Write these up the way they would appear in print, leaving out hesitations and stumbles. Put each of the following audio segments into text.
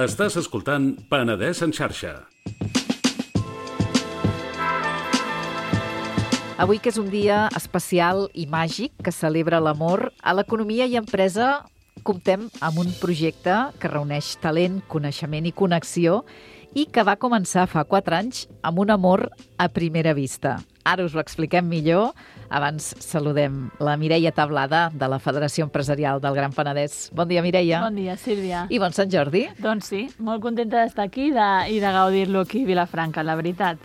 Estàs escoltant Penedès en xarxa. Avui, que és un dia especial i màgic que celebra l'amor, a l'economia i empresa comptem amb un projecte que reuneix talent, coneixement i connexió i que va començar fa 4 anys amb un amor a primera vista. Ara us ho expliquem millor. Abans saludem la Mireia Tablada, de la Federació Empresarial del Gran Penedès. Bon dia, Mireia. Bon dia, Sílvia. I bon Sant Jordi. Doncs sí, molt contenta d'estar aquí i de gaudir-lo aquí a Vilafranca, la veritat.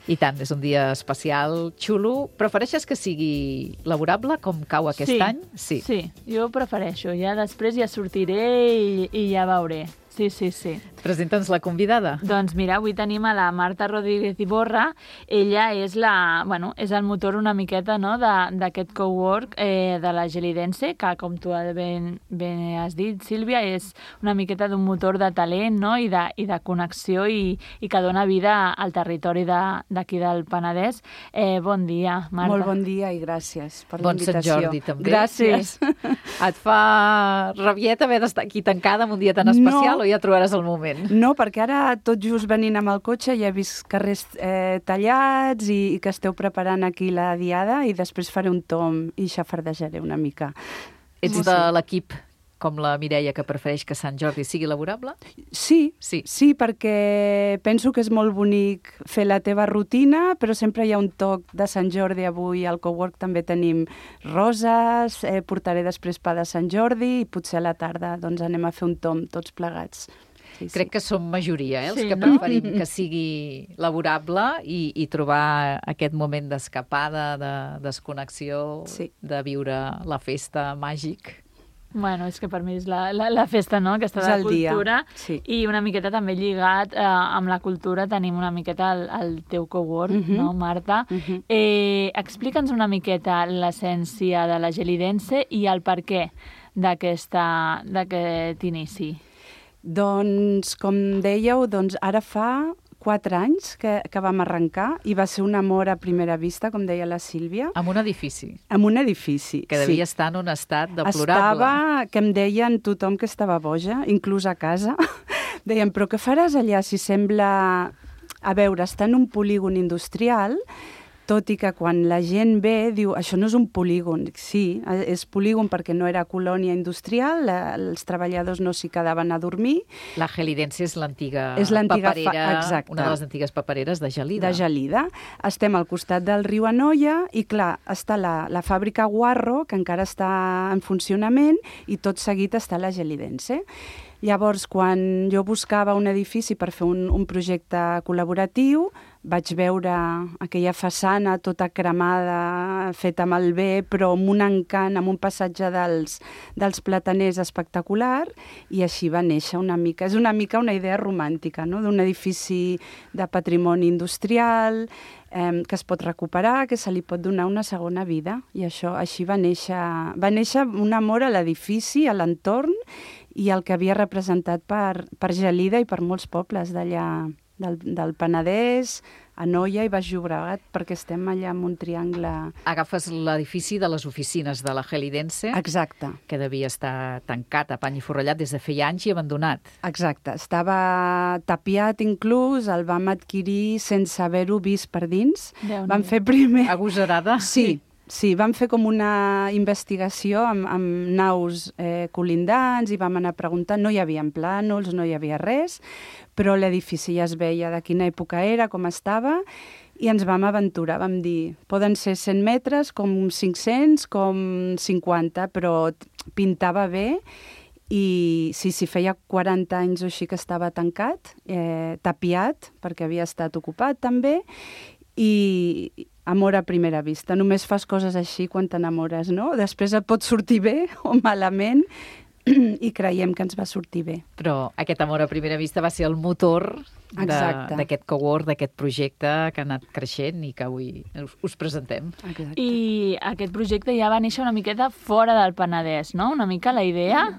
I tant, és un dia especial, xulo. Prefereixes que sigui laborable, com cau aquest any? Sí, jo prefereixo. Ja després ja sortiré i ja veuré. Sí. Presenta'ns la convidada. Doncs mira, avui tenim a la Marta Rodríguez Iborra. Ella és és el motor una miqueta, no?, d'aquest cowork de la Gelidense, que, com tu ben has dit, Sílvia, és una miqueta d'un motor de talent, no?, i de connexió i que dona vida al territori d'aquí del Penedès. Bon dia, Marta. Molt bon dia i gràcies per l'invitació. Bon Sant Jordi, també. Gràcies. Et fa rabiet haver d'estar aquí tancada en un dia tan especial o ja trobaràs el moment? No, perquè ara tot just venint amb el cotxe ja he vist carrers tallats i que esteu preparant aquí la diada i després faré un tomb i xafardejaré una mica. Ets de l'equip com la Mireia, que prefereix que Sant Jordi sigui laborable? Sí, perquè penso que és molt bonic fer la teva rutina, però sempre hi ha un toc de Sant Jordi. Avui al cowork també tenim roses, portaré després pa de Sant Jordi i potser a la tarda doncs anem a fer un tomb tots plegats. Sí. Crec que som majoria, els que preferim que sigui laborable i trobar aquest moment d'escapada, de desconnexió, de viure la festa màgic. Bueno, és que per mi és la festa, no?, aquesta de la cultura. I una miqueta també lligat amb la cultura tenim una miqueta el teu cowork, no, Marta? Explica'ns una miqueta l'essència de la Gelidense i el perquè d'aquest inici. Doncs, com dèieu, ara fa 4 anys que vam arrencar i va ser un amor a primera vista, com deia la Sílvia. Amb un edifici. Amb un edifici, que devia estar en un estat deplorable. Estava, que em deien tothom que estava boja, inclús a casa. Deien, però què faràs allà si sembla... A veure, està en un polígon industrial, tot i que quan la gent ve diu, això no és un polígon. Sí, és polígon perquè no era colònia industrial, els treballadors no s'hi quedaven a dormir. La Gelidense és l'antiga paperera, una de les antigues papereres de Gelida. De Gelida. Estem al costat del riu Anoia i, clar, està la fàbrica Guarro, que encara està en funcionament, i tot seguit està la Gelidense. Llavors, quan jo buscava un edifici per fer un projecte col·laboratiu, vaig veure aquella façana tota cremada, feta amb el bé, però amb un encant, amb un passatge dels plataners espectacular, i així va néixer una mica. És una mica una idea romàntica, no?, d'un edifici de patrimoni industrial, que es pot recuperar, que se li pot donar una segona vida. I això així va néixer un amor a l'edifici, a l'entorn, i el que havia representat per Gelida i per molts pobles d'allà, del Penedès, Anoia i Baix Llobregat, perquè estem allà en un triangle... Agafes l'edifici de les oficines de la Gelidense. Exacte. Que devia estar tancat a pany i forrellat des de feia anys i abandonat. Exacte. Estava tapiat inclús, el vam adquirir sense haver-ho vist per dins. Vam fer primer... Agosarada? Sí, vam fer com una investigació amb naus colindants i vam anar preguntant. No hi havia plànols, no hi havia res, però l'edifici ja es veia de quina època era, com estava, i ens vam aventurar. Vam dir, poden ser 100 metres, com 500, com 50, però pintava bé. I sí, feia 40 anys o així que estava tancat, tapiat, perquè havia estat ocupat també, i amor a primera vista. Només fas coses així quan t'enamores, no? Després et pot sortir bé o malament i creiem que ens va sortir bé. Però aquest amor a primera vista va ser el motor d'aquest cowork, d'aquest projecte que ha anat creixent i que avui us presentem. Exacte. I aquest projecte ja va néixer una miqueta fora del Penedès, no? Una mica la idea...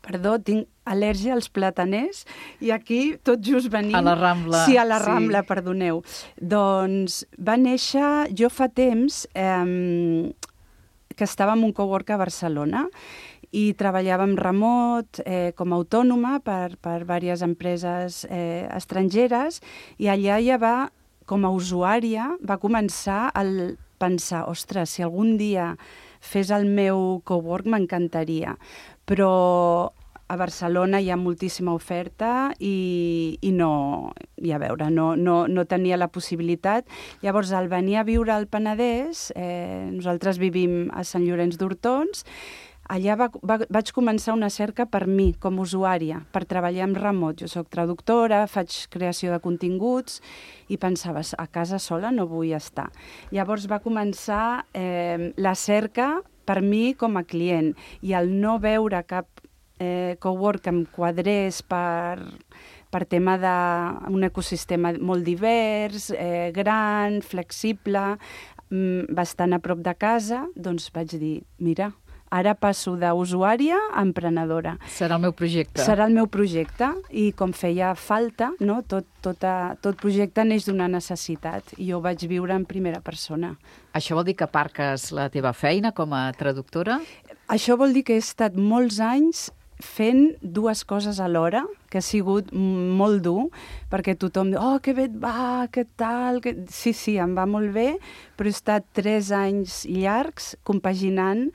Perdó, tinc al·lèrgia als plataners i aquí tot just venim... A la Rambla. Sí, a la Rambla, perdoneu. Doncs va néixer, jo fa temps que estava en un cowork a Barcelona i treballava en remot com a autònoma per diverses empreses estrangeres, i allà ja com a usuària, va començar a pensar, ostres, si algun dia fes el meu cowork m'encantaria, però a Barcelona hi ha moltíssima oferta i no, i a veure, no tenia la possibilitat. Llavors, al venir a viure al Penedès, nosaltres vivim a Sant Llorenç d'Hortons, allà vaig començar una cerca per mi, com a usuària, per treballar en remot. Jo soc traductora, faig creació de continguts i pensava, a casa sola no vull estar. Llavors va començar la cerca per mi com a client, i al no veure cap cowork que em quadrés per tema d'un ecosistema molt divers, gran, flexible, bastant a prop de casa, doncs vaig dir, mira, ara passo d'usuària a emprenedora. Serà el meu projecte. Serà el meu projecte, i com feia falta, no? Tot projecte neix d'una necessitat, i jo ho vaig viure en primera persona. Això vol dir que aparques la teva feina com a traductora? Això vol dir que he estat molts anys fent dues coses alhora, que ha sigut molt dur, perquè tothom diu, oh, que bé et va, què tal... Sí, em va molt bé, però he estat 3 anys llargs compaginant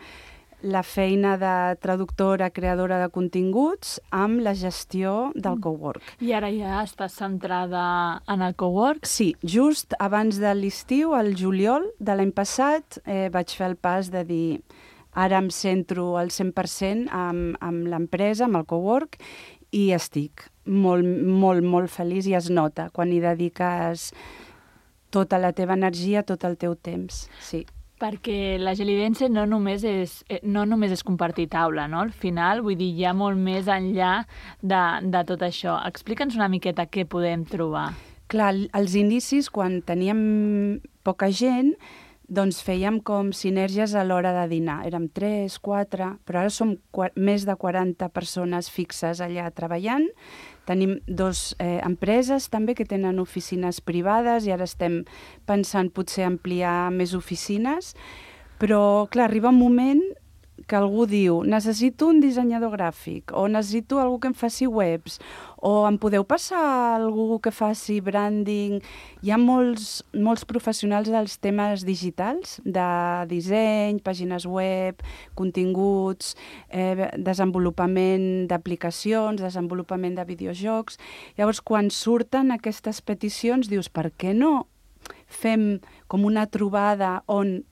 la feina de traductora, creadora de continguts, amb la gestió del cowork. I ara ja estàs centrada en el cowork? Sí, just abans de l'estiu, al juliol de l'any passat, vaig fer el pas de dir ara em centro al 100% amb l'empresa, amb el cowork, i estic molt, molt, molt feliç, i es nota quan hi dediques tota la teva energia, tot el teu temps, sí. Perquè la Gelidense no només és compartir taula, no? Al final, vull dir, hi ha molt més enllà de tot això. Explica'ns una miqueta què podem trobar. Clar, als inicis, quan teníem poca gent, doncs fèiem com sinergies a l'hora de dinar. Érem 3, 4, però ara som més de 40 persones fixes allà treballant. Tenim 2 empreses també que tenen oficines privades, i ara estem pensant potser ampliar més oficines. Però, clar, arriba un moment que algú diu, necessito un dissenyador gràfic, o necessito algú que em faci webs, o em podeu passar algú que faci branding. Hi ha molts professionals dels temes digitals, de disseny, pàgines web, continguts, desenvolupament d'aplicacions, desenvolupament de videojocs. Llavors, quan surten aquestes peticions, dius, per què no fem com una trobada on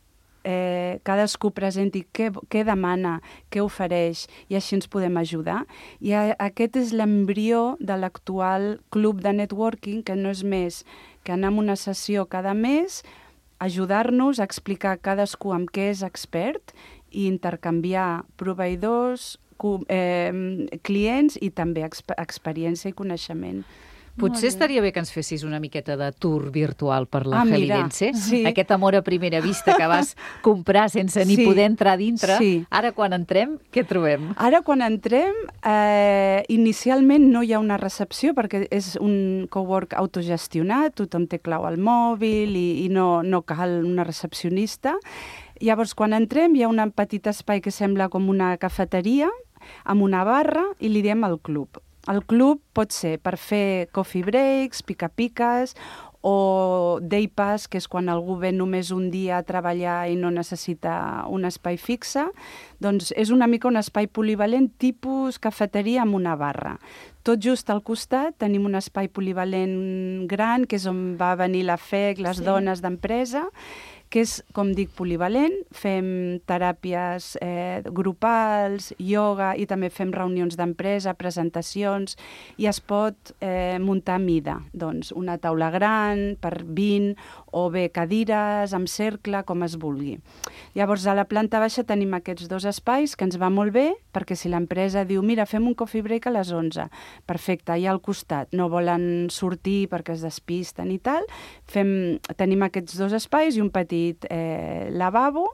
cadascú presenti què demana, què ofereix, i així ens podem ajudar. I aquest és l'embrió de l'actual club de networking, que no és més que anar a una sessió cada mes, ajudar-nos a explicar cadascú amb què és expert i intercanviar proveïdors, clients i també experiència i coneixement. Potser estaria bé que ens fessis una miqueta de tour virtual per la Gelidense. Sí. Aquest amor a primera vista que vas comprar sense ni poder entrar dintre. Sí. Ara, quan entrem, què trobem? Ara, quan entrem, inicialment no hi ha una recepció, perquè és un cowork autogestionat, tothom té clau al mòbil i no cal una recepcionista. Llavors, quan entrem, hi ha un petit espai que sembla com una cafeteria, amb una barra, i li diem el club. El club pot ser per fer coffee breaks, pica-piques, o day pass, que és quan algú ve només un dia a treballar i no necessita un espai fixe. Doncs és una mica un espai polivalent tipus cafeteria amb una barra. Tot just al costat tenim un espai polivalent gran, que és on va venir la FEC, les dones d'empresa, que és, com dic, polivalent. Fem teràpies grupals, ioga, i també fem reunions d'empresa, presentacions, i es pot muntar a mida. Doncs una taula gran per 20, o bé cadires, amb cercle, com es vulgui. Llavors, a la planta baixa tenim aquests 2 espais, que ens va molt bé, perquè si l'empresa diu, mira, fem un coffee break a les 11, perfecte, i al costat, no volen sortir perquè es despisten i tal, tenim aquests 2 espais i un petit lavabo.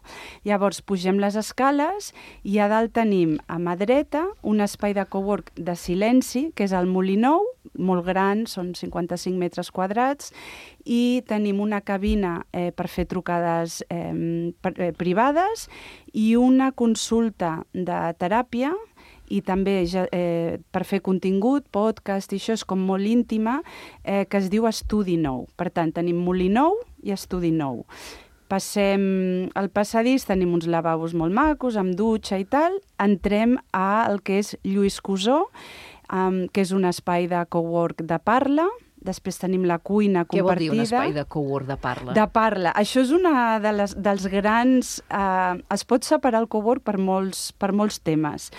Llavors pugem les escales i a dalt tenim a mà dreta un espai de cowork de silenci, que és el Molí Nou, molt gran, són 55 metres quadrats, i tenim una cabina per fer trucades privades i una consulta de teràpia, i també per fer contingut, podcast, i això és com molt íntima, que es diu Estudi Nou. Per tant, tenim molí nou i estudi nou. Passem al passadís, tenim uns lavabos molt macos, amb dutxa i tal. Entrem al que és Lluís Cusó, que és un espai de cowork de parla. Després tenim la cuina compartida. Què vol dir un espai de cowork de parla? De parla. Això és una dels grans... Es pot separar el cowork per molts temes.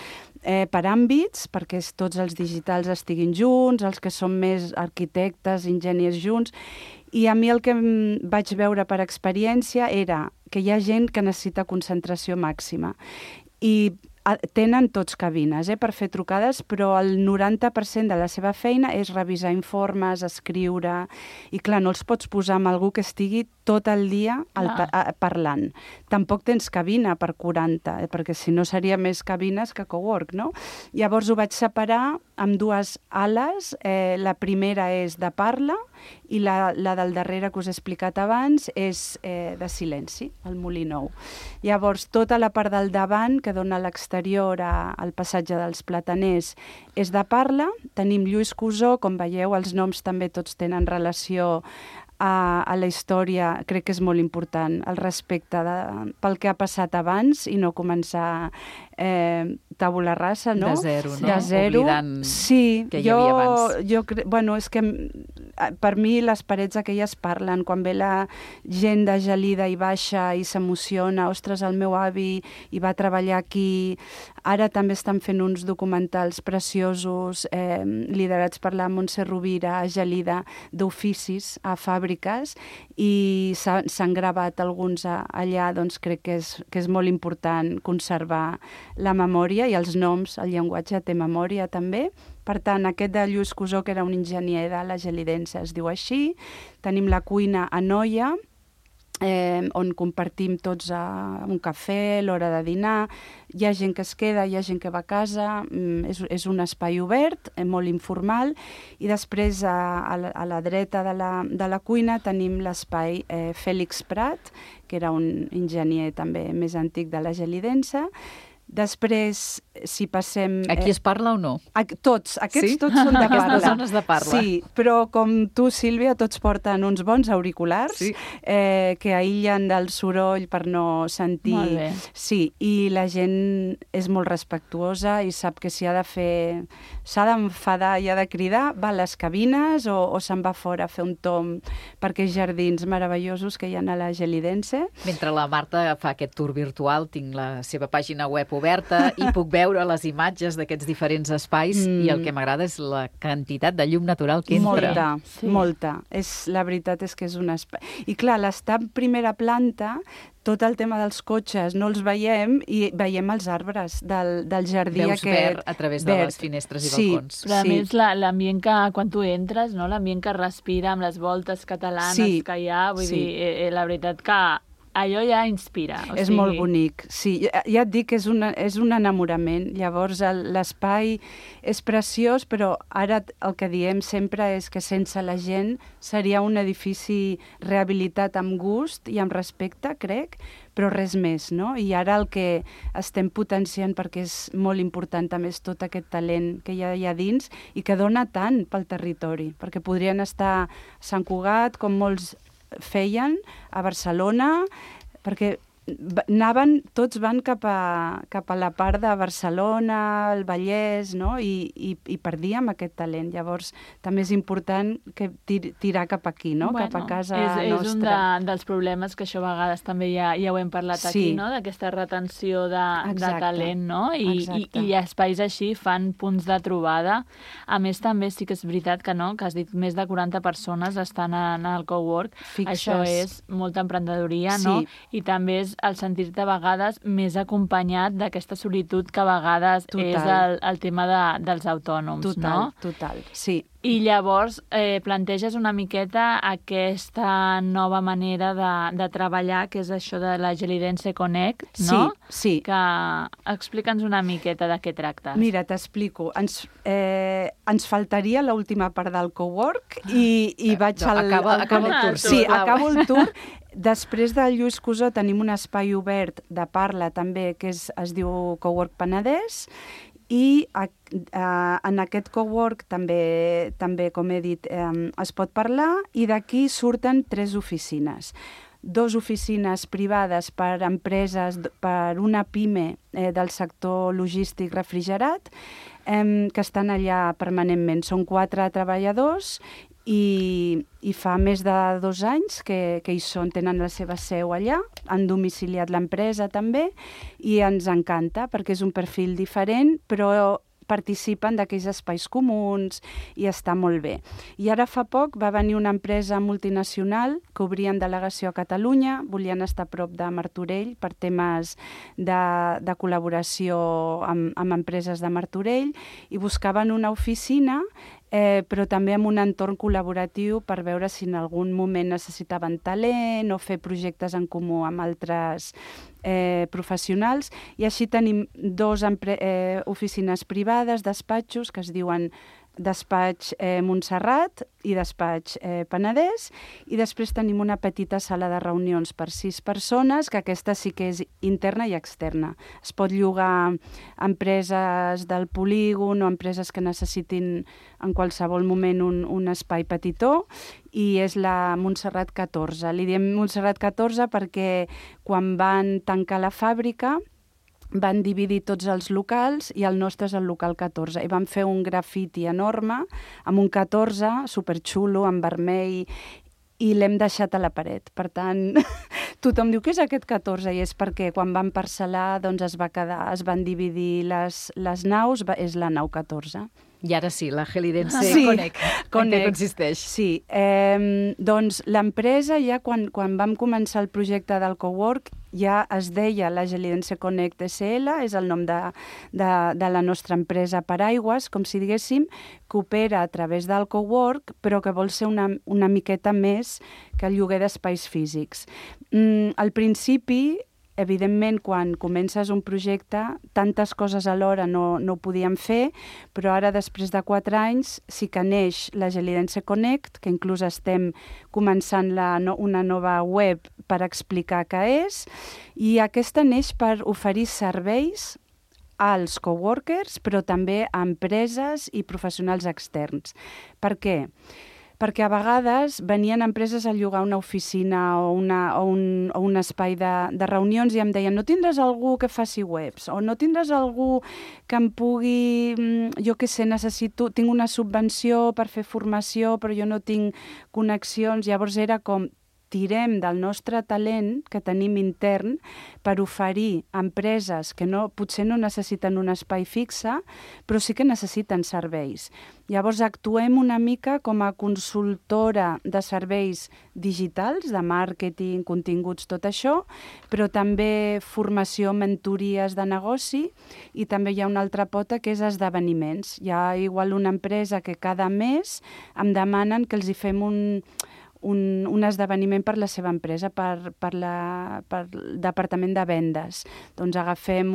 Per àmbits, perquè tots els digitals estiguin junts, els que són més arquitectes, enginyers junts, i a mi el que vaig veure per experiència era que hi ha gent que necessita concentració màxima. I tenen tots cabines per fer trucades, però el 90% de la seva feina és revisar informes, escriure, i clar, no els pots posar amb algú que estigui tot el dia parlant. Tampoc tens cabina per 40, perquè si no seria més cabines que cowork, no? Llavors ho vaig separar amb dues ales. La primera és de parla i la del darrere que us he explicat abans és de silenci, el molí nou. Llavors, tota la part del davant, que dona a l'exterior al passatge dels Plataners, és de parla. Tenim Lluís Cusó, com veieu, els noms també tots tenen relació a la història. Crec que és molt important el respecte pel que ha passat abans i no començar tabula rasa, no? De zero, no? De zero. Oblidant sí, que hi havia abans. Bueno, és que per mi les parets aquelles parlen. Quan ve la gent de Gelida i baixa i s'emociona, ostres, el meu avi hi va treballar aquí. Ara també estan fent uns documentals preciosos liderats per la Montse Rovira a Gelida, d'oficis a fàbriques, i s'han gravat alguns allà. Doncs crec que és molt important conservar la memòria i els noms. El llenguatge té memòria també. Per tant, aquest de Lluís Cusó, que era un enginyer de la Gelidense, es diu així. Tenim la cuina a Noia, on compartim tots un cafè, l'hora de dinar. Hi ha gent que es queda, hi ha gent que va a casa. És un espai obert, molt informal. I després, a la dreta de la cuina, tenim l'espai Fèlix Prat, que era un enginyer també més antic de la Gelidense. Després, si passem... Aquí es parla o no? Tots són de parla. Aquestes zones de parla. Sí, però com tu, Sílvia, tots porten uns bons auriculars que aïllen del soroll per no sentir... Molt bé. Sí, i la gent és molt respectuosa i sap que si s'ha d'enfadar i ha de cridar, va a les cabines o se'n va fora a fer un tomb per aquests jardins meravellosos que hi ha a la Gelidense. Mentre la Marta fa aquest tour virtual, tinc la seva pàgina web oberta i puc veure les imatges d'aquests diferents espais i el que m'agrada és la quantitat de llum natural que entra. Molta. La veritat és que és un espai. I clar, l'estar en primera planta, tot el tema dels cotxes no els veiem i veiem els arbres del jardí. Veus verd a través de les finestres i balcons. Però a més l'ambient que, quan tu entres, no? L'ambient que respira amb les voltes catalanes que hi ha, vull dir, la veritat que allò ja inspira. És molt bonic, sí. Ja et dic que és un enamorament. Llavors, l'espai és preciós, però ara el que diem sempre és que sense la gent seria un edifici rehabilitat amb gust i amb respecte, crec, però res més, no? I ara el que estem potenciant, perquè és molt important també, és tot aquest talent que hi ha allà dins i que dona tant pel territori, perquè podrien estar a Sant Cugat, com molts feien, a Barcelona, perquè tots van cap a la part de Barcelona, el Vallès, no? I perdíem aquest talent. Llavors, també és important que tirar cap aquí, no? Cap a casa nostra. És un dels problemes que això a vegades també ja ho hem parlat aquí, no? D'aquesta retenció de talent, no? I espais així fan punts de trobada. A més, també sí que és veritat que has dit més de 40 persones estan en el cowork. Això és molta emprenedoria, no? I també és el sentir-te a vegades més acompanyat d'aquesta solitud que a vegades és el tema dels autònoms, no? Total, sí. I llavors planteges una miqueta aquesta nova manera de treballar, que és això de la Gelidense Connect, no? Sí. Que explica'ns una miqueta de què tractes. Mira, t'explico. Ens faltaria l'última part del cowork i vaig Acaba el tour. Sí, acabo el tour. Després del Lluís Cusó tenim un espai obert de parla també, que es diu Cowork Penedès, i en aquest cowork també, com he dit, es pot parlar, i d'aquí surten 3 oficines. 2 oficines privades per empreses, per una PIME del sector logístic refrigerat, que estan allà permanentment. Són 4 treballadors i fa més de 2 anys que hi són, tenen la seva seu allà, han domiciliat l'empresa també, i ens encanta perquè és un perfil diferent, però participen d'aquells espais comuns i està molt bé. I ara fa poc va venir una empresa multinacional que obrien delegació a Catalunya, volien estar a prop de Martorell per temes de col·laboració amb empreses de Martorell, i buscaven una oficina però també amb un entorn col·laboratiu per veure si en algun moment necessitaven talent o fer projectes en comú amb altres professionals. I així tenim 2 oficines privades, despatxos, que es diuen Despatx Montserrat i Despatx Penedès, i després tenim una petita sala de reunions per 6 persones, que aquesta sí que és interna i externa. Es pot llogar a empreses del polígon o empreses que necessitin en qualsevol moment un espai petitó, i és la Montserrat 14. Li diem Montserrat 14 perquè quan van tancar la fàbrica van dividir tots els locals i el nostre és el local 14. I van fer un grafiti enorme amb un 14 superxulo, en vermell, i l'hem deixat a la paret. Per tant, tothom diu, què és aquest 14? I és perquè quan van parcel·lar doncs es van dividir les naus, és la nau 14. I ara sí, la Gelidense Connect. En què consisteix? Sí, doncs l'empresa ja quan vam començar el projecte del cowork ja es deia la Gelidense Connect SL, és el nom de la nostra empresa Paraigües, com si diguéssim, que opera a través del cowork, però que vol ser una miqueta més que el lloguer d'espais físics. Al principi, evidentment, quan comences un projecte, tantes coses alhora no ho podíem fer, però ara, després de 4 anys, sí que neix la Gelidense Connect, que inclús estem començant una nova web per explicar què és, i aquesta neix per oferir serveis als coworkers, però també a empreses i professionals externs. Per què? Perquè a vegades venien empreses a llogar una oficina o un espai de reunions i em deien, no tindràs algú que faci webs, o no tindràs algú que em pugui, jo què sé, tinc una subvenció per fer formació, però jo no tinc connexions. Llavors era com, tirem del nostre talent que tenim intern per oferir a empreses que potser no necessiten un espai fixe, però sí que necessiten serveis. Llavors actuem una mica com a consultora de serveis digitals, de màrqueting, continguts, tot això, però també formació, mentories de negoci, i també hi ha una altra pota que és esdeveniments. Hi ha igual una empresa que cada mes em demanen que els hi fem un esdeveniment per la seva empresa, per el departament de vendes. Doncs agafem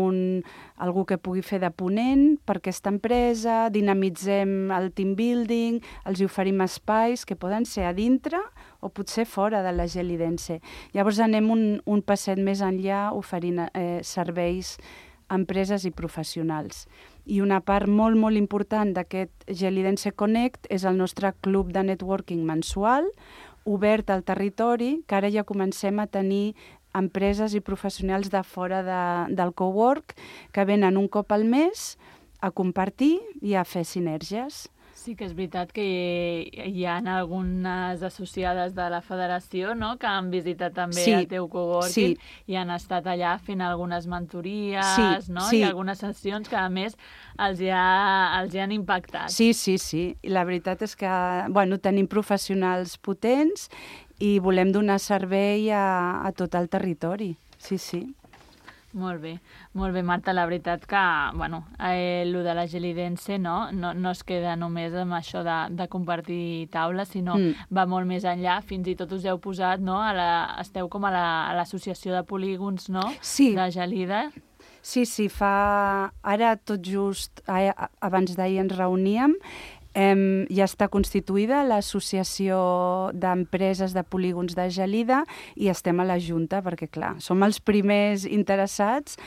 algú que pugui fer de ponent per aquesta empresa, dinamitzem el team building, els hi oferim espais que poden ser a dintre o potser fora de la Gelidense. Llavors anem un passet més enllà oferint serveis a empreses i professionals. I una part molt, molt important d'aquest Gelidense Connect és el nostre club de networking mensual, obert al territori, que ara ja comencem a tenir empreses i professionals de fora del cowork que venen un cop al mes a compartir i a fer sinergies. Sí que és veritat que hi ha algunes associades de la federació, no?, que han visitat també el teu coworking i han estat allà fent algunes mentories, no? I algunes sessions que, a més, els hi han impactat. Sí. La veritat és que tenim professionals potents i volem donar servei a tot el territori. sí, sí. Molt bé, Marta, la veritat que, bueno, lo de la Gelidense no es queda només amb això de compartir taules, sinó va molt més enllà, fins i tot us heu posat, no?, esteu com a l'associació de polígons, no?, sí. De Gelida. Sí, ara tot just, abans d'ahir ens reuníem, ja està constituïda l'associació d'empreses de polígons de Gelida i estem a la Junta perquè, clar, som els primers interessats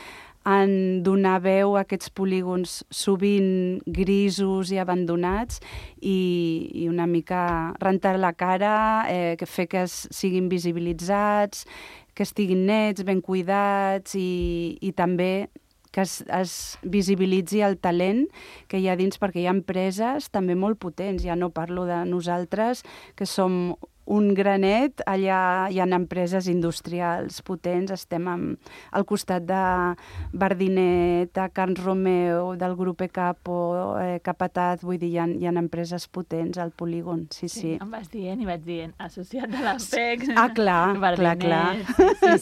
en donar veu a aquests polígons sovint grisos i abandonats i una mica rentar la cara, fer que siguin visibilitzats, que estiguin nets, ben cuidats i també que es visibilitzi el talent que hi ha dins, perquè hi ha empreses també molt potents. Ja no parlo de nosaltres, que som un granet, allà hi ha empreses industrials potents, estem al costat de Bardinet, de Carn Romeu, del grup Ecapo, Capataz, vull dir, hi ha empreses potents al polígon, sí. Em vas dient i vaig dient, associat de l'APEC... clar.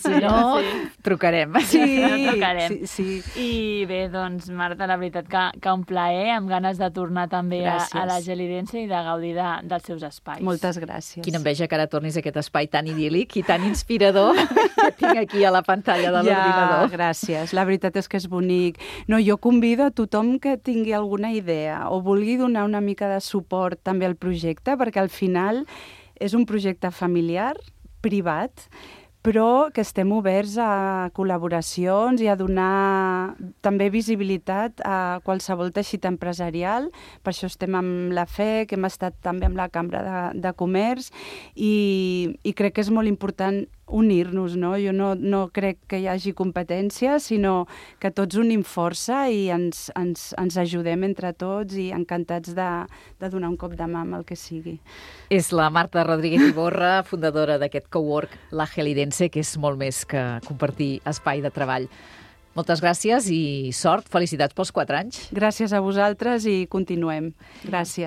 Sí, no, trucarem. Sí. I bé, doncs, Marta, la veritat que un plaer, amb ganes de tornar també a la Gelidense i de gaudir dels seus espais. Moltes gràcies. Quina enveja que ara tornis a aquest espai tan idíl·lic i tan inspirador que tinc aquí a la pantalla de l'ordinador. Gràcies. La veritat és que és bonic. No, jo convido a tothom que tingui alguna idea o vulgui donar una mica de suport també al projecte, perquè al final és un projecte familiar, privat, però que estem oberts a col·laboracions i a donar també visibilitat a qualsevol teixit empresarial. Per això estem amb la FEC, hem estat també amb la Cambra de Comerç i crec que és molt important unir-nos, no? Jo no crec que hi hagi competència, sinó que tots unim força i ens ajudem entre tots i encantats de donar un cop de mà amb el que sigui. És la Marta Rodríguez Iborra, fundadora d'aquest cowork La Gelidense, que és molt més que compartir espai de treball. Moltes gràcies i sort. Felicitats pels 4 anys. Gràcies a vosaltres i continuem. Gràcies.